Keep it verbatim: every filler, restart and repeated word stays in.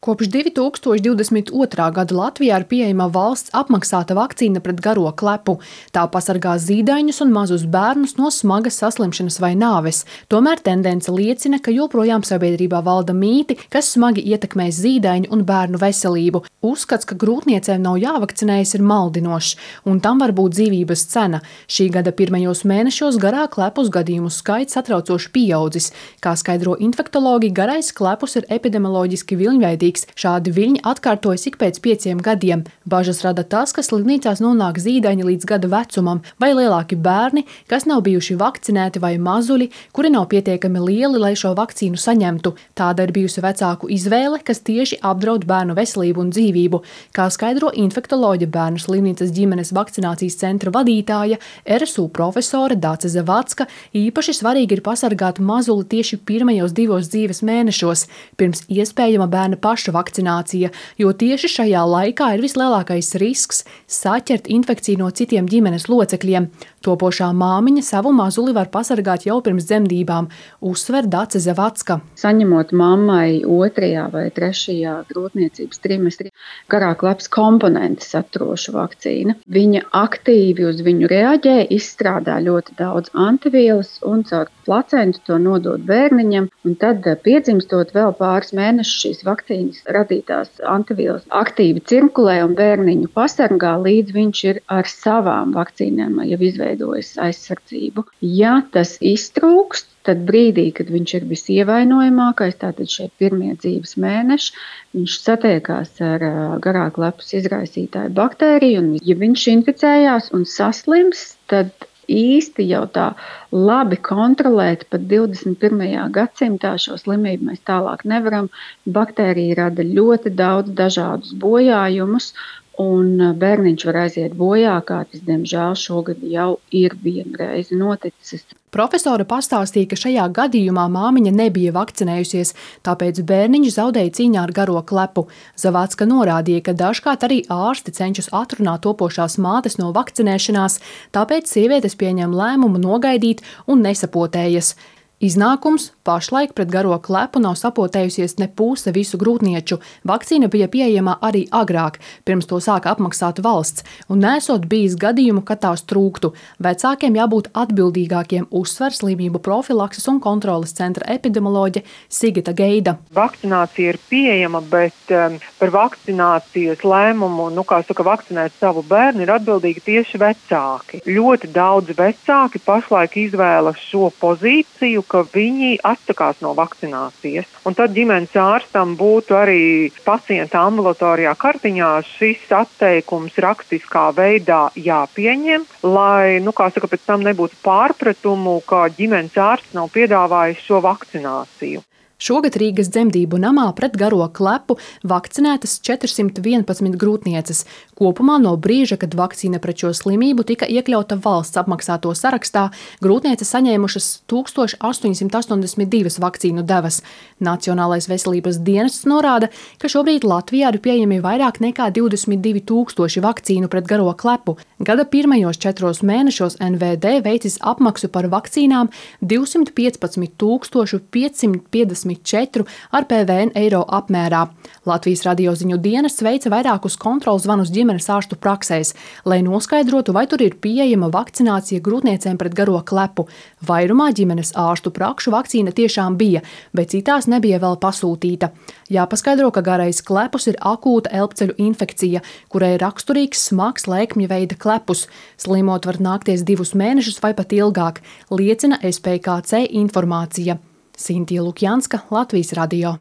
Kopš divi tūkstoši divdesmit otrā gada Latvijā ir pieejama valsts apmaksāta vakcīna pret garo klepu. Tā pasargā zīdaiņus un mazus bērnus no smagas saslimšanas vai nāves. Tomēr tendence liecina, ka joprojām sabiedrībā valda mīti, kas smagi ietekmēs zīdaiņu un bērnu veselību. Uzskats, ka grūtniecēm nav jāvakcinējas, ir maldinošs, un tam var būt dzīvības cena. Šī gada pirmajos mēnešos garā klepus gadījumu skaits satraucoši pieaudzis. Kā skaidro infektologi, garais klepus ir epidemioloģiski viļņveidīgs. Šādi viļņi atkārtojas ik pēc pieciem gadiem. Bažas rada tas, ka slimnīcās nonāk zīdaiņi līdz gada vecumam, vai lielāki bērni, kas nav bijuši vakcinēti, vai mazuļi, kuri nav pietiekami lieli, lai šo vakcīnu saņemtu. Tāda ir bijusi vecāku izvēle, kas tieši apdraud bērnu veselību un dzīvību. Kā skaidro infektoloģe Bērnu slimnīcas ģimenes vakcinācijas centra vadītāja, R S U profesore Dace Zavacka, īpaši svarīgi ir pasargāt mazuli tieši pirmajos divos dzīves mēnešos, pirms iespējama bērna paša vakcinācija, jo tieši šajā laikā ir vislielākais risks saķert infekciju no citiem ģimenes locekļiem. Topošā māmiņa savu mazuli var pasargāt jau pirms dzemdībām, uzsver Dace Zavacka. Saņemot mammai otrajā vai trešajā grūtniecības trimestrī garā klepas komponenti saturošu vakcīnu, viņa aktīvi uz viņu reaģē, izstrādā ļoti daudz antivielas un caur placentu to nodod bērniņam, un tad piedzimstot vēl pāris mēnešus šīs vakcīnas radītās antivielas aktīvi cirkulē un bērniņu pasargā, līdz viņš ir ar savām vakcīnām jau izveidojas aizsardzību. Ja tas iztrūkst, tad brīdī, kad viņš ir visievainojamākais, tātad šie pirmie dzīves mēneši, viņš satiekās ar garā klepas izraisītāju baktēriju, un ja viņš inficējās un saslims, tad īsti jau tā labi kontrolēt pat divdesmit pirmajā gadsimtā šo slimību mēs tālāk nevaram. Baktērija rada ļoti daudz dažādus bojājumus, un bērniņš var aiziet bojā, kā tas, diemžēl, šogad jau ir vienreiz noticis. Profesore pastāstīja, ka šajā gadījumā māmiņa nebija vakcinējusies, tāpēc bērniņš zaudēja cīņā ar garo klepu. Zavacka norādīja, ka dažkārt arī ārsti cenšas atrunāt topošās mātes no vakcinēšanās, tāpēc sievietes pieņem lēmumu nogaidīt un nesapotējas. Iznākums – pašlaik pret garo klepu nav sapotējusies ne puse visu grūtnieču. Vakcīna bija pieejama arī agrāk, pirms to sāka apmaksāt valsts, un nesot bijis gadījumu, ka tās trūktu. Vecākiem jābūt atbildīgākiem, uzsver slimību profilakses un kontroles centra epidemioloģe Sigita Geida. Vakcinācija ir pieejama, bet um, par vakcinācijas lēmumu, nu kā saka, vakcinēt savu bērnu ir atbildīgi tieši vecāki. Ļoti daudz vecāki pašlaik izvēlas šo pozīciju, ka viņi atsakās no vakcinācijas. Un tad ģimenes ārstam būtu arī pacienta ambulatorijā kartiņā šis atteikums rakstiskā veidā jāpieņem, lai, nu kā saka, pēc tam nebūtu pārpratumu, ka ģimenes ārsts nav piedāvājis šo vakcināciju. Šogad Rīgas dzemdību namā pret garo klepu vakcinētas četrsimt vienpadsmit grūtnieces. Kopumā no brīža, kad vakcīna pret šo slimību tika iekļauta valsts apmaksāto sarakstā, grūtnieces saņēmušas tūkstoš astoņsimt astoņdesmit divas vakcīnu devas. Nacionālais veselības dienests norāda, ka šobrīd Latvijā ir pieejami vairāk nekā divdesmit divi tūkstoši vakcīnu pret garo klepu. Gada pirmajos četros mēnešos N V D veicis apmaksu par vakcīnām divsimt piecpadsmit tūkstoši piecsimt piecdesmit četri ar P V N eiro apmērā. Latvijas radioziņu dienests veica vairākus kontrols zvanus ģimenes ārstu praksēs, lai noskaidrotu, vai tur ir pieejama vakcinācija grūtniecēm pret garo klepu. Vairumā ģimenes ārstu prakšu vakcīna tiešām bija, bet citās nebija vēl pasūtīta. Jāpaskaidro, ka garais klepus ir akūta elpceļu infekcija, kurai raksturīgs smags lēkmju veida klepus. Slimot var nākties divus mēnešus vai pat ilgāk, liecina S P K C informācija. Sintija Lukjanska, Latvijas radio.